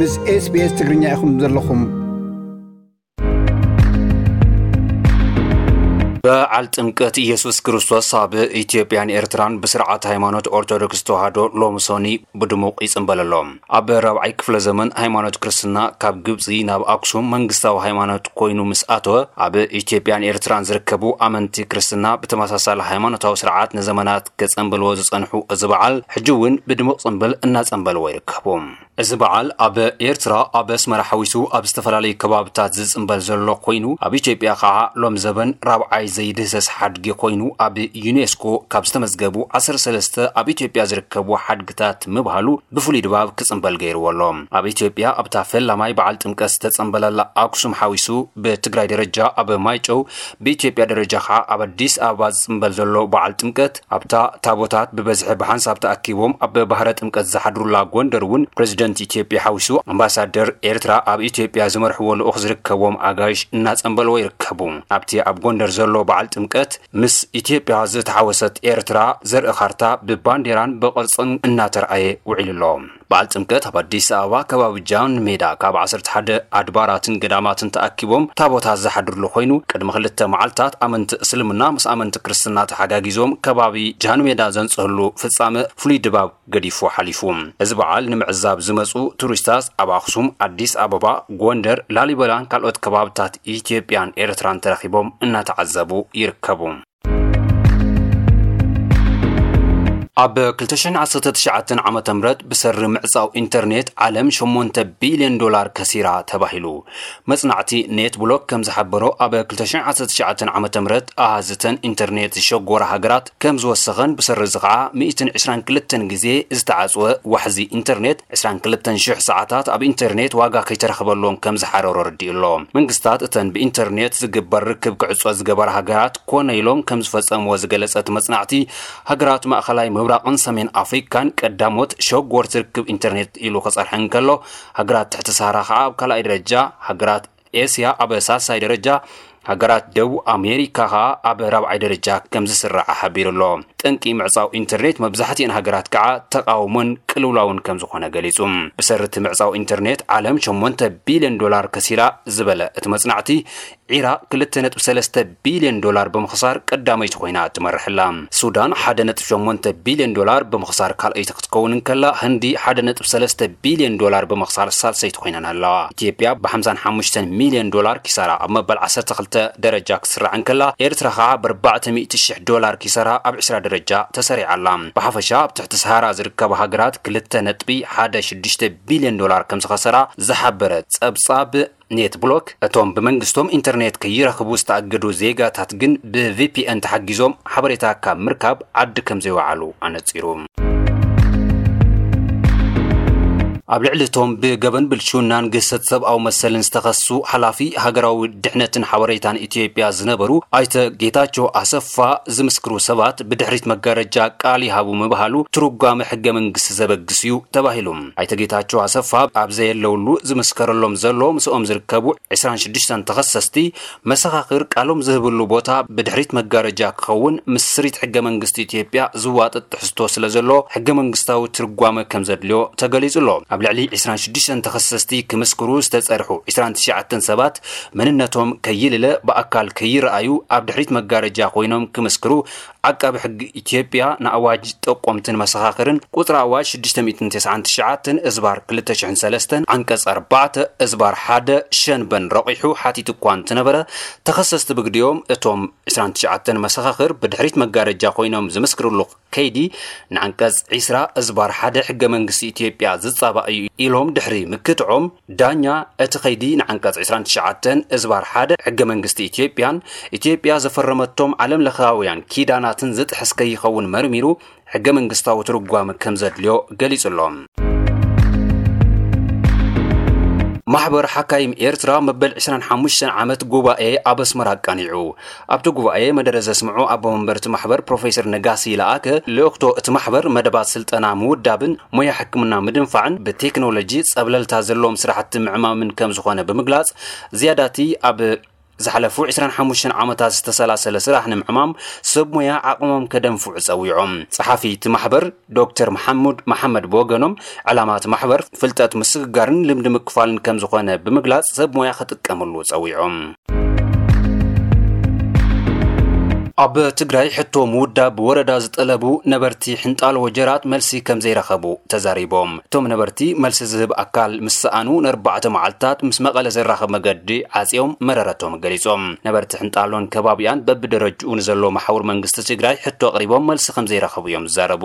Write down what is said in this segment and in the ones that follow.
ምስ SBS ትግርኛ ኢኹም ዘለኹም። በዓል ጥምቀት ኢየሱስ ክርስቶስ ኣብ ኢትዮጵያን ኤርትራን ብስርዓት ሃይማኖት ኦርቶዶክስ ተዋህዶ ሎምሶኒ ብድሙቕ ይጽንበል ኣሎ። ኣብ ራብዓይ ክፍለ ዘመን ሃይማኖት ክርስትና ካብ ግብጺ ናብ ኣክሱም መንግስታዊ ሃይማኖት ኮይኑ ምስ ኣተወ፣ ኣብ ኢትዮጵያን ኤርትራን ዝርከቡ ኣመንቲ ክርስትና ብተመሳሳሊ ሃይማኖታዊ ስርዓት ንዘመናት ከጸንበልዎ ዝጸንሑ እዚ በዓል፣ ሕጂ እውን ብድሙቕ ጽንብል እናጸንበልዎ ይርከቡ። እዚ በዓል ኣብ ኤርትራ ኣብ ኣስመራ ሓዊሱ ኣብ ዝተፈላለዩ ከባብታት ዝጽንበል ዘሎ ኮይኑ፣ ኣብ ኢትዮጵያ ከዓ ሎም ዘበን ራብዓይ ዘይድህሰስ ሓድጊ ኮይኑ፣ ኣብ ዩኔስኮ ካብ ዝተመዝገቡ ዓሰርተ ሰለስተ ኣብ ኢትዮጵያ ዝርከቡ ሓድግታት ምብሃሉ ብፍሉይ ድባብ ክጽንበል ገይርዎ ኣሎ። ኣብ ኢትዮጵያ ኣብታ ፈላማይ በዓል ጥምቀት ዝተጸንበለላ ኣክሱም ሓዊሱ ብትግራይ ደረጃ ኣብ ማይጨው፣ ብኢትዮጵያ ደረጃ ከዓ ኣብ ኣዲስ ኣበባ ዝጽንበል ዘሎ በዓል ጥምቀት ኣብታ ታቦታት ብበዝሒ ብሓንሳብ ተኣኪቦም ኣብ ባህረ ጥምቀት ዝሓድሩላ ጎንደር እውን ፕሬዚደንት ኢትዮጵያ ሓዊሱ ኣምባሳደር ኤርትራ ኣብ ኢትዮጵያ ዝመርሕዎ ልኡኽ ዝርከቦም ኣጋይሽ እናጸንበልዎ ይርከቡ። ኣብቲ ኣብ ጎንደር ዘሎ በዓል ጥምቀት ምስ ኢትዮጵያ ዝተሓወሰት ኤርትራ ዘርኢ ካርታ ብባንዴራን ብቕርጽን እናተርኣየ ውዒሉ ኣሎ። በዓል ጥምቀት ኣብ ኣዲስ ኣበባ ከባቢ ጃን ሜዳ ካብ ዓሰርተ ሓደ ኣድባራትን ገዳማትን ተኣኪቦም ታቦታት ዝሓድርሉ ኮይኑ፣ ቅድሚ ክልተ መዓልታት ኣመንቲ እስልምና ምስ ኣመንቲ ክርስትና ተሓጋጊዞም ከባቢ ጃን ሜዳ ዘንጽህሉ ፍጻመ ፍሉይ ድባብ ገዲፉ ሓሊፉ። እዚ በዓል ንምዕዛብ ዝመጹ ቱሪስታት ኣብ ኣኽሱም፣ ኣዲስ ኣበባ፣ ጎንደር፣ ላሊበላን ካልኦት ከባብታት ኢትዮጵያን ኤርትራን ተረኺቦም እናተዓዘቡ ይርከቡ። ኣብ ክልተ ሽሕን ዓሰርተ ትሽዓተን ዓመተ ምህረት ብሰሪ ምዕጻው ኢንተርኔት ዓለም ሸሞንተ ቢልዮን ዶላር ከሲራ ተባሂሉ። መጽናዕቲ ኔት ብሎክ ከም ዝሓበሮ፣ ኣብ ክልተ ሽሕን ዓሰርተ ትሽዓተን ዓመተ ምህረት ኣሃዝተን ኢንተርኔት ዝሸጎራ ሃገራት ከም ዝወሰኸን ብሰሪ እዚ ኸዓ ሚእትን ዕስራን ክልተን ግዜ ዝተዓጽወ ዋሕዚ ኢንተርኔት ዕስራን ክልተን ሽሕ ሰዓታት ኣብ ኢንተርኔት ዋጋ ከይተረኽበሎም ከም ዝሓረሮ ኣረዲኡ ኣሎ። መንግስታት እተን ብኢንተርኔት ዝግበር ርክብ ክዕጾ ዝገበራ ሃገራት ኮነ ኢሎም ከም ዝፈጸምዎ ዝገለጸ እቲ መጽናዕቲ፣ ሃገራት ማእኸላይ ምብራቕን ሰሜን ኣፍሪካን ቀዳሞት ሸጎርቲ ርክብ ኢንተርኔት ኢሉ ክጸርሐ እንከሎ፣ ሃገራት ትሕቲ ሰሃራ ከዓ ኣብ ካልኣይ ደረጃ፣ ሃገራት ኤስያ ኣብ ሳልሳይ ደረጃ፣ ሃገራት ደቡብ ኣሜሪካ ከዓ ኣብ ራብዓይ ደረጃ ከም ዝስራዓ ሓቢሩ ኣሎ። ጠንቂ ምዕጻው ኢንተርኔት መብዛሕትኤን ሃገራት ከዓ ተቓውሞን ቅልውላውን ከም ዝኾነ ገሊጹ። ብሰሪ እቲ ምዕጻው ኢንተርኔት ዓለም ሸሞንተ ቢልዮን ዶላር ከሲራ ዝበለ እቲ መጽናዕቲ፣ ዒራቕ ክልተ ነጥቢ ሰለስተ ቢልዮን ዶላር ብምኽሳር ቀዳመይቲ ኮይና ትመርሕ ኣላ። ሱዳን ሓደ ነጥቢ ሸሞንተ ቢልዮን ዶላር ብምኽሳር ካልኣይቲ ክትከውን እንከላ፣ ህንዲ ሓደ ነጥቢ ሰለስተ ቢልዮን ዶላር ብምኽሳር ሳልሰይቲ ኮይነን ኣለዋ። ኢትዮጵያ ብ ሓምሳን ሓሙሽተን ሚልዮን ዶላር ኪሳራ ኣብ መበል ዓሰርተ ክልተ ደረጃ ክትስራዕ እንከላ፣ ኤርትራ ኸዓ ብ ኣርባዕተ ሚእቲ ሽሕ ዶላር ኪሳራ ኣብ ዕስራ ደረጃ ተሰሪዓ ኣላ። ብሓፈሻ ኣብ ትሕቲ ሰሃራ ዝርከባ ሃገራት ክልተ ነጥቢ ሓደ ሽዱሽተ ቢልዮን ዶላር ከም ዝኸሰራ ዝሓበረ ጸብጻብ ኔት ብሎክ፣ እቶም ብመንግስቶም ኢንተርኔት ከይረኽቡ ዝተኣገዱ ዜጋታት ግን ብ ቪ ፒ ኤን ተሓጊዞም ሓበሬታ ካብ ምርካብ ዓዲ ከም ዘይወዓሉ ኣነጺሩ። ኣብ ልዕሊ እቶም ብገበን ብልሽውናን ግህሰት ሰብኣዊ መሰልን ዝተኸሱ ሓላፊ ሃገራዊ ድሕነትን ሓበሬታን ኢትዮጵያ ዝነበሩ ኣይተ ጌታቸው ኣሰፋ ዝምስክሩ ሰባት ብድሕሪት መጋረጃ ቃል ይሃቡ ምባሃሉ ትርጓመ ሕገ መንግስቲ ዘበግስ እዩ ተባሂሉ። ኣይተ ጌታቸው ኣሰፋ ኣብ ዘየለውሉ ዝምስከረሎም ዘሎ ምስኦም ዝርከቡ ዕስራን ሽዱሽተን ተኸሰስቲ መሰኻኽር ቃሎም ዝህብሉ ቦታ ብድሕሪት መጋረጃ ክኸውን ምስ ስሪት ሕገ መንግስቲ ኢትዮጵያ ዝዋጥጥ ትሕዝቶ ስለ ዘሎ ሕገ መንግስታዊ ትርጓመ ከም ዘድልዮ ተገሊጹ ኣሎ። ኣብ ልዕሊ ዕስራን ሽዱሽተን ተኸሰስቲ ክምስክሩ ዝተጸርሑ ዕስራን ትሽዓተን ሰባት መንነቶም ከይልለ ብኣካል ከይረኣዩ ኣብ ድሕሪት መጋረጃ ኮይኖም ክምስክሩ ዓቃቢ ሕጊ ኢትዮጵያ ንኣዋጅ ጠቆምትን መሰኻኽርን ቁጽሪ ኣዋጅ ሽዱሽተ ሚእትን ተስዓን ትሽዓተን እዝባር ክልተ ሽሕን ሰለስተን ዓንቀጽ ኣርባዕተ እዝባር ሓደ ሸንበን ረቒሑ ሓቲቱ እኳ እንትነበረ፣ ተኸሰስቲ ብግዲኦም እቶም ዕስራን ትሽዓተን መሰኻኽር ብድሕሪት መጋረጃ ኮይኖም ዝምስክርሉ ከይዲ ንዓንቀጽ ዕስራ እዝባር ሓደ ሕገ መንግስቲ ኢትዮጵያ ዝጻባእ እዩ ኢሎም ድሕሪ ምክትዖም፣ ዳኛ እቲ ከይዲ ንዓንቀጽ ዕስራን ትሽዓተን እዝባር ሓደ ሕገ መንግስቲ ኢትዮጵያን ኢትዮጵያ ዘፈረመቶም ዓለም ለኻውያን ኪዳናትን ዝጥሕስ ከይኸውን መርሚሩ ሕገ መንግስታዊ ትርጓመ ከም ዘድልዮ ገሊጹ ኣሎ። ማሕበር ሓካይም ኤርትራ መበል ዕስራን ሓሙሽተን ዓመት ጉባኤ ኣብ ኣስመራ ኣቃኒዑ። ኣብቲ ጉባኤ መደረ ዘስምዑ ኣቦ መንበር እቲ ማሕበር ፕሮፌሰር ነጋሲ ለኣከ፣ ልእኽቶ እቲ ማሕበር መደባት ስልጠና ምውዳብን ሞያ ሕክምና ምድንፋዕን ብቴክኖሎጂ ጸብለልታ ዘለዎም ስራሕቲ ምዕማምን ከም ዝኾነ ብምግላጽ፣ ዝያዳቲ ኣብ ዝሓለፉ ዕስራን ሓሙሽተን ዓመታት ዝተሰላሰለ ስራሕ ንምዕማም ሰብ ሞያ ዓቕሞም ከደንፍዑ ጸዊዖም። ጸሓፊ እቲ ማሕበር ዶክተር መሓሙድ መሓመድ ብወገኖም፣ ዕላማ እቲ ማሕበር ፍልጠት ምስግጋርን ልምዲ ምክፋልን ከም ዝኾነ ብምግላጽ ሰብ ሞያ ክጥቀምሉ ጸዊዖም። ኣብ ትግራይ ሕቶ ምውዳብ ወረዳ ዝጠለቡ ነበርቲ ሕንጣሎ ወጀራት መልሲ ከም ዘይረኸቡ ተዛሪቦም። እቶም ነበርቲ መልሲ ዝህብ ኣካል ምስ ሰኣኑ ንኣርባዕተ መዓልታት ምስ መቐለ ዘራኽብ መገዲ ዓጽዮም መረረቶም ገሊጾም። ነበርቲ ሕንጣሎን ከባቢኣን በብደረጅኡ ንዘሎ መሓውር መንግስቲ ትግራይ ሕቶ ኣቕሪቦም መልሲ ከም ዘይረኸቡ እዮም ዝዛረቡ።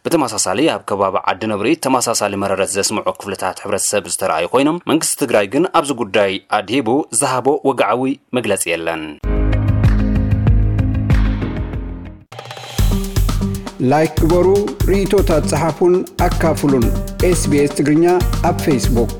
ብተመሳሳሊ ኣብ ከባቢ ዓዲ ነብሪ ተመሳሳሊ መረረት ዘስምዑ ክፍልታት ሕብረተሰብ ዝተረኣዩ ኮይኖም መንግስቲ ትግራይ ግን ኣብዚ ጉዳይ ኣድሂቡ ዝሃቦ ወግዓዊ መግለጺ የለን። ላይክ ግበሩ፣ ርእይቶታት ጸሓፉን ኣካፍሉን። ኤስቢኤስ ትግርኛ ኣብ ፌስቡክ።